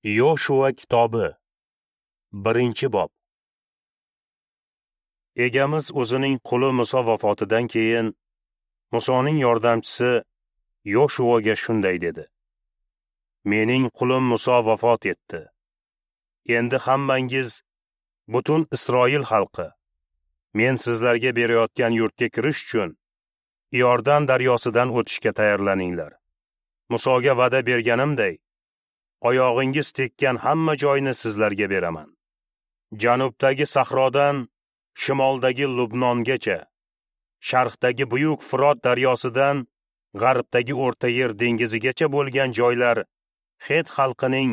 Yoshua kitobi, 1-bob. Egamiz o'zining quli Muso vafotidan keyin Musoning yordamchisi Yoshuaga shunday dedi: Mening qulim Muso vafot etdi. Endi hammangiz, butun Isroil xalqi, men sizlarga berayotgan yurtga kirish uchun Iordan daryosidan o'tishga tayyorlaninglar. Musoga va'da berganimday, oyog'ingiz tekkan hamma joyni sizlarga beraman. Janubdagi sahrodan shimoldagi Lubnongacha, sharqdagi buyuk Firot daryosidan g'arbdagi O'rta Yer dengizigacha bo'lgan joylar Het xalqining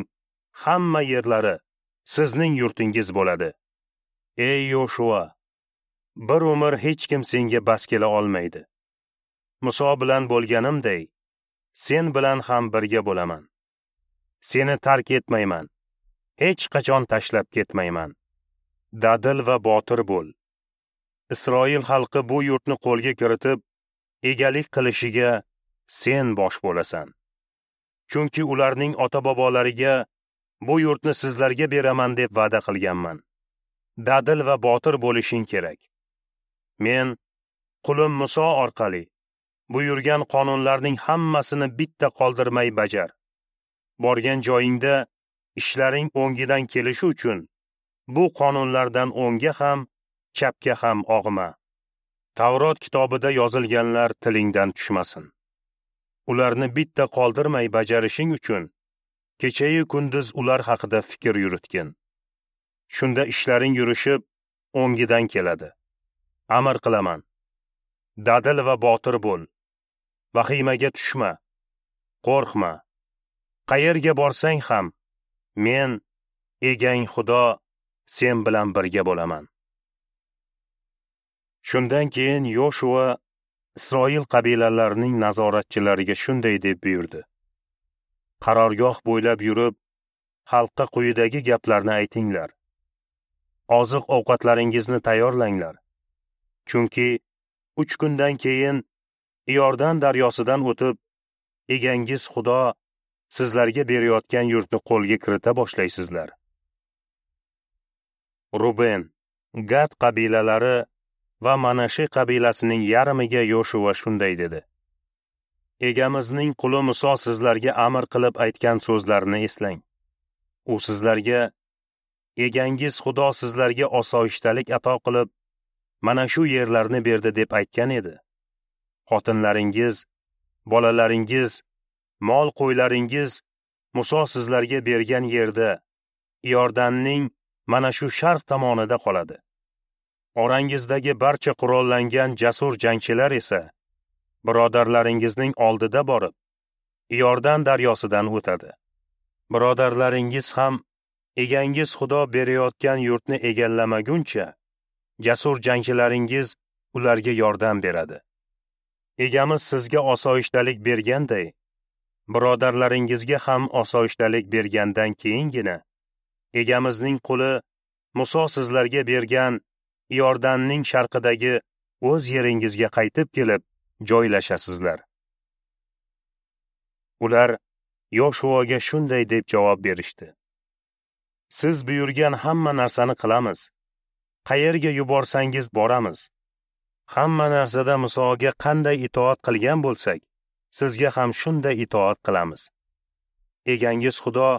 hamma yerlari sizning yurtingiz bo'ladi. Ey Yoshua, bir umr hech kim senga bas kela olmaydi. Muso bilan bo'lganimday, sen bilan ham birga bo'laman. Seni tark etmayman, hech qachon tashlab ketmayman. Dadil va botir bo'l. Isroil xalqi bu yurtni qo'lga kiritib, egalik qilishiga sen bosh bo'lasan. Chunki ularning ota-bobolariga bu yurtni sizlarga beraman deb va'da qilganman. Dadil va botir bo'lishing kerak. Men qulim Muso orqali buyurgan qonunlarning hammasini bitta qoldirmay bajar. Borgan joyingda ishlaring o'ngidan kelishi uchun bu qonunlardan o'ngga ham, chapga ham og'ma. Tavrot kitobida yozilganlar tilingdan tushmasin. Ularni bitta qoldirmay bajarishing uchun kechayu kunduz ular haqida fikr yuritgin. Shunda ishlaring yurishib, o'ngidan keladi. Amr qilaman. Dadil va botir bo'l. Vahimaga tushma. Qo'rqma. Qayerga borsang ham, men, egang Xudo, sen bilan birga bo'laman. Shundan keyin Yoshua Isroil qabilalarining nazoratchilariga shunday deb buyurdi: Qarorgoh bo'ylab yurib, xalqqa quyidagi gaplarni aytinglar. Oziq-ovqatlaringizni tayyorlanglar. Chunki 3 kundan keyin Iordan daryosidan o'tib, egangiz Xudo sizlarga berayotgan yurtni qo'lga kirita boshlaysizlar. Ruben, Gad qabilalari va Manashi qabilasining yarmiga Yoshua shunday dedi: Egamizning quli Muso sizlarga amr qilib aytgan so'zlarini eslang. U sizlarga: Egangiz Xudo sizlarga osoyishtalik ato qilib, mana shu yerlarni berdi deb aytgan edi. Xotinlaringiz, bolalaringiz, mol qo'ylaringiz Muso sizlarga bergan yerda, Iordanning mana shu sharq tomonida qoladi. Orangizdagi barcha qurollangan jasur jangchilar esa birodarlaringizning oldida borib, Iordan daryosidan o'tadi. Birodarlaringiz ham egangiz Xudo berayotgan yurtni egallamaguncha jasur jangchilaringiz ularga yordam beradi. Egamiz sizga osoyishtalik berganday, birodarlaringizga ham osoyishtalik bergandan keyingina egamizning quli Muso sizlarga bergan Iordanning sharqidagi o'z yeringizga qaytib kelib joylashasizlar. Ular Yoshuaga shunday deb javob berishdi: Siz buyurgan hamma narsani qilamiz. Qayerga yuborsangiz boramiz. Hamma narsada Musoga qanday itoat qilgan bo'lsak, sizga ham shunday itoat qilamiz. Egangiz Xudo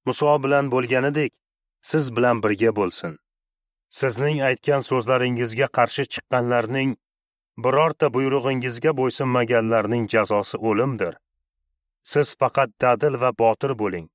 Muso bilan bo'lganidek, siz bilan birga bo'lsin. Sizning aytgan so'zlaringizga qarshi chiqqanlarning, birorta buyrug'ingizga bo'ysunmaganlarning jazosi o'limdir. Siz faqat dadil va botir bo'ling.